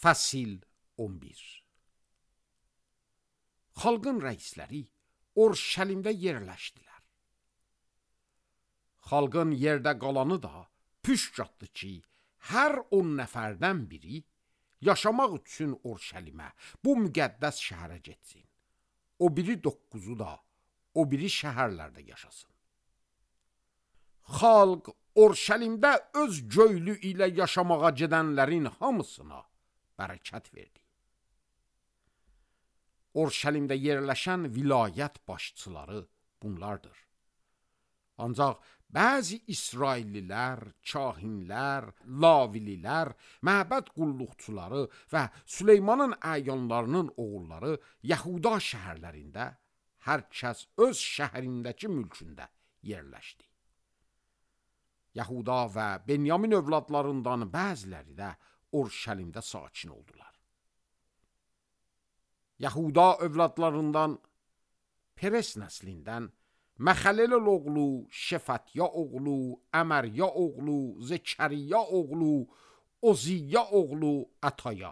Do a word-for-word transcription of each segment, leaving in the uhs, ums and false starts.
Fəsil on bir. Xalqın rəisləri Orşəlimdə yerləşdilər. Xalqın yerdə qalanı da püşcatdı ki, hər on nəfərdən biri yaşamaq üçün Orşəlimə, bu müqəddəs şəhərə getsin. O biri dokkuzu da o biri şəhərlərdə yaşasın. Xalq Orşəlimdə öz göylü ilə yaşamağa gedənlərin hamısına bərəkət verdi. Orşəlimdə yerləşən vilayət başçıları bunlardır. Ancaq bəzi İsraillilər, kahinlər, lavililər, məbəd qulluqçuları və Süleymanın əyanlarının oğulları Yahuda şəhərlərində hər kəs öz şəhərindəki mülkündə yerləşdi. Yahuda və Benyamin övladlarından bəziləri də Orşəlimdə sakin oldular. Yahuda övladlarından Peres nəslindən Məxəlel oğlu, Şefatiya oğlu, Əmərya oğlu, Zekəriya oğlu, Oziya oğlu Ataya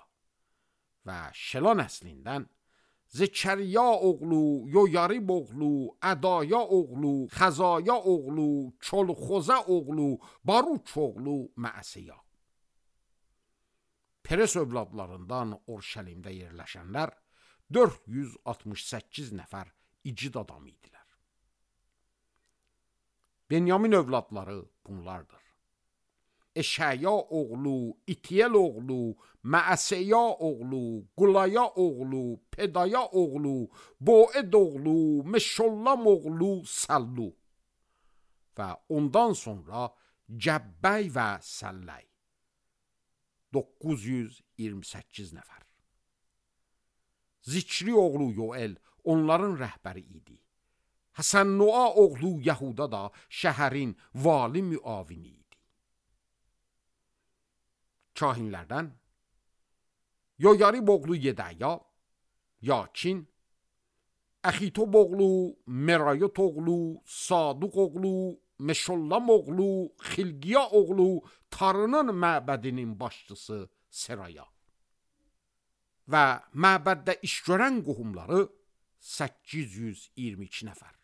və Şela nəslindən Zekəriya oğlu, Yoyarib oğlu, Ədaya oğlu, Xəzaya oğlu, Çolxoza oğlu, Baruç oğlu Məəsiya. Peres övladlarından Orşəlimdə yerləşənlər dörd yüz altmış səkkiz nəfər igid adam idilər. Benyamin övladları bunlardır. Eşaya oğlu, İtiyel oğlu, Məəsiya oğlu, Qulaya oğlu, Pedaya oğlu, Boed oğlu, Meşollam oğlu, Sallu və ondan sonra Cəbbəy və Səlləy. doqquz yüz iyirmi səkkiz nəfər. Zikri oğlu Yoel onların rəhbəri idi. Həsən-Nua oğlu Yahuda da şəhərin vali müavini idi. Kahinlərdən Yoyarib oğlu Yedaya, Yakin, Əxitob oğlu, Merayot oğlu, Saduq oğlu, Meşollam oğlu, Xilqiya oğlu, Tarının məbədinin başçısı Seraya və məbəddə iş görən qohumları səkkiz yüz iyirmi iki nəfər.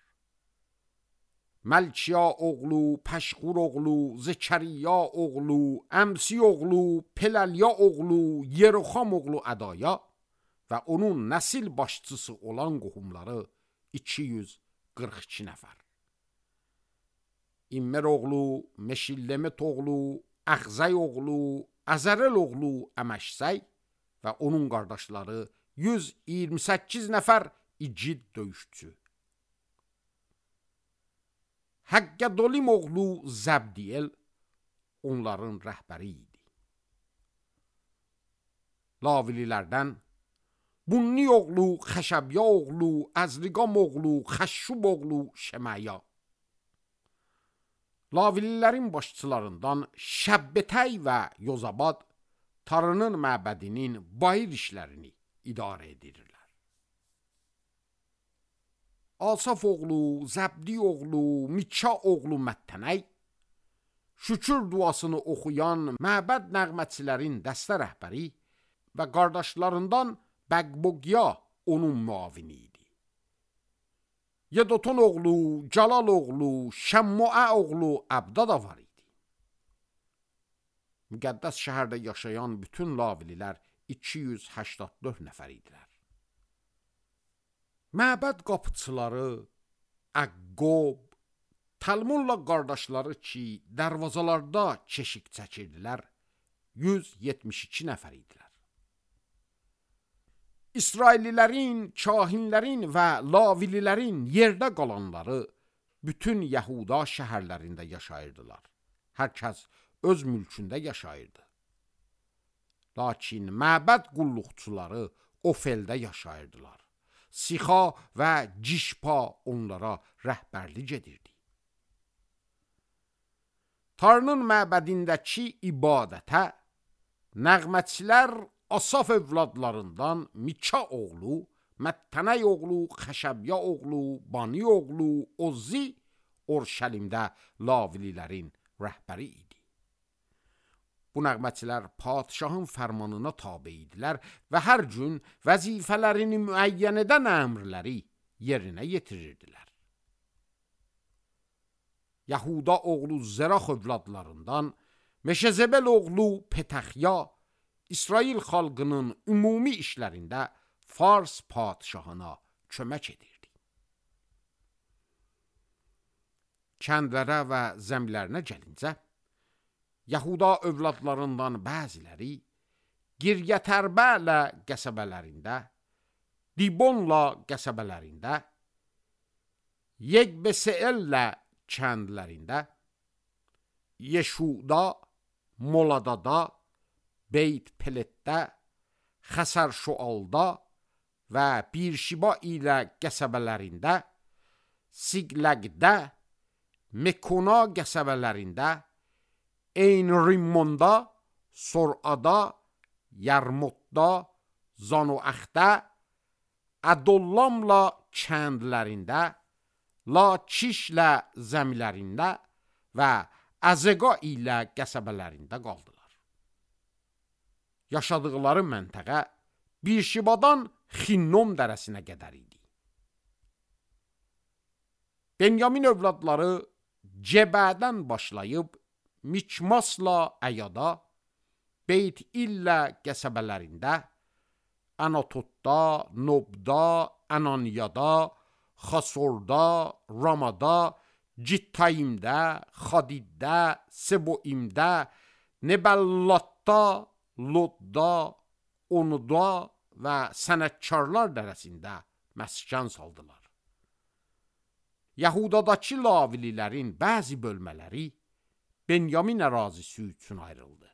Məlkiya oğlu, Pəşqur oğlu, Zekəriya oğlu, Əmsi oğlu, Pelalya oğlu, Yeroxam oğlu Ədaya və onun nəsil başçısı olan qohumları iki yüz qırx iki nəfər. İmmer oğlu, Meşillemət oğlu, Əxzəy oğlu, Əzərəl oğlu Əməşsəy və onun qardaşları yüz iyirmi səkkiz nəfər igid döyüşçü. Həqqədolim oğlu Zəbdiyel onların rəhbəri idi. Lavililərdən Bunni oğlu, Xəşəbya oğlu, Əzriqam oğlu, Xəşşub oğlu Şəməya. Lavililərin başçılarından Şəbbətəy və Yozabad Tarının məbədinin bayır işlərini idarə edirlər. Asaf oğlu, Zəbdi oğlu, Mikka oğlu Məttənəy, şükür duasını oxuyan məbəd nəğmətçilərin dəstə rəhbəri və qardaşlarından Bəqbogya onun müavini idi. Yedoton oğlu, Calal oğlu, Şəmmua oğlu Əbda da var idi. Müqəddəs şəhərdə yaşayan bütün lavililər iki yüz səksən dörd nəfər idilər. Məbəd qapıçıları Əqqob, Talmunla qardaşları ki, dərvazalarda keşik çəkirdilər, yüz yetmiş iki nəfər idilər. İsraillilərin, kahinlərin və lavililərin yerdə qalanları bütün Yahuda şəhərlərində yaşayırdılar. Hər kəs öz mülkündə yaşayırdı. Lakin məbəd qulluqçuları Ofeldə yaşayırdılar. Sixa və Cişpa onlara rəhbərlik edirdi. Tarının məbədindəki ibadətə nəğmətçilər Asaf övladlarından Mikka oğlu, Məttənəy oğlu, Xəşəbya oğlu, Bani oğlu, Ozi, Orşəlimdə lavililərin rəhbəri idi. Bu nəğməçilər padşahın fərmanına tabe idilər və hər gün vəzifələrini müəyyən edən əmrləri yerinə yetirirdilər. Yahuda oğlu Zerax övladlarından Meşezebel oğlu Petaxya İsrail xalqının ümumi işlərində Fars padşahına kömək edirdi. Kəndlərə və zəmlərinə gəlincə, Yahuda övladlarından bəziləri Giryətərbələ qəsəbələrində, Dibonla qəsəbələrində, Yeqbeseellə kəndlərində, Yeşuda, Moladada, Beyt Peletdə, Xəsər-Şualda və Birşiba ilə qəsəbələrində, Siqləqdə, Mekona qəsəbələrində, Eyn-Rimmonda, Sorada, Yarmutda, Zanoaxdə, Ədollamla kəndlərində, Lakişlə zəmilərində və Əzəqa ilə qəsəbələrində qaldılar. Yaşadıqları məntəqə Birşibadan Xinnom dərəsinə qədər idi. Benyamin övladları Cebədən başlayıb Mikmasla Əyada, Beyt İllə qəsəbələrində, Anatotda, Nobda, Ananiyada, Xasorda, Ramada, Cittayimdə, Xadiddə, Seboimdə, Nebəllatda, Lodda, Onuda və sənətkarlar dərəsində məskən saldılar. Yahudadakı Lavililərin bəzi bölmələri Benyamin ərazisi üçün ayrıldı.